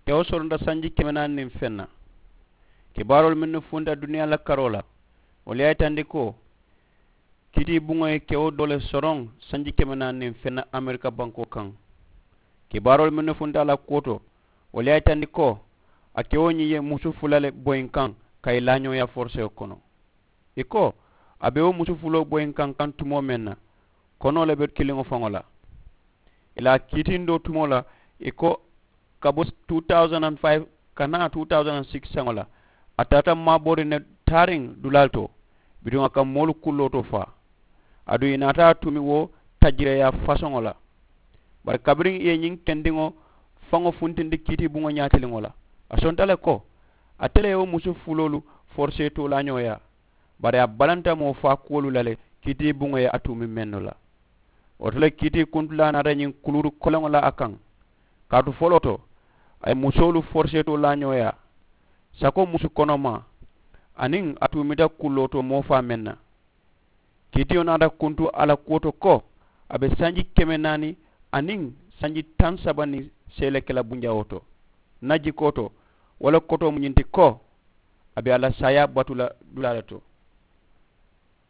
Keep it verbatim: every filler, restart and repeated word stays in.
kewo soronta sanji keme naani niŋ feŋ na. Kibaaroolu mennu funta duniyaa la karoo la, wolu ye a yitandi ko kiitiibuŋo ye kewo doo le soroŋ sanji keme naani niŋ feŋ na amerika bankoo kaŋ. Kibaaroolu mennu funta a la kuwo to, wolu ye a yitandi ko a kewo ñiŋ ye musu fula le boyi n kaŋ ka i laañooyaa forisewo kono. I ko a be wo musu fuloo boyi n kaŋ kaŋ tumoo meŋ na, konoo le be kiliŋo faŋo la. I la a kiitiŋ doo tumoo la, i ko ka bo two thousand and five ka naa two thousand and six saŋo la, a taata maabooriŋ ne taariŋ dulaalu to, bituŋ a ka moolu kulloo to faa. Aduŋ i naata a tumi wo tajireeyaa fasoŋo la. Bari kabiriŋ i ye ñiŋ kendiŋo faŋo funtindi kiitiibuŋo ñaatiliŋo la, a sonta le ko ate le ye wo musu fuloolu forisee toolaañooyaa. Bari a balanta moo faa kuwolu la le kiitiibuŋo ye a tumi mennu la. Wo to le kiitii kuntulaa naata ñiŋ kuluuru koleŋo la a kaŋ. Kaatu foloo to, a ye musoolu foriseetoo laañooyaa sako musu konomaa, aniŋ a tuumita kulloo to moo faa meŋ na. Kiitiyo naata kuntu a la kuwo to ko a be sanji keme naani aniŋ sanji taŋ saba niŋ seele ke la bunjawoo to. N na jikoo to, wo le kotoo mu ñiŋ ti ko a be a la saayaa batu la dulaa le to.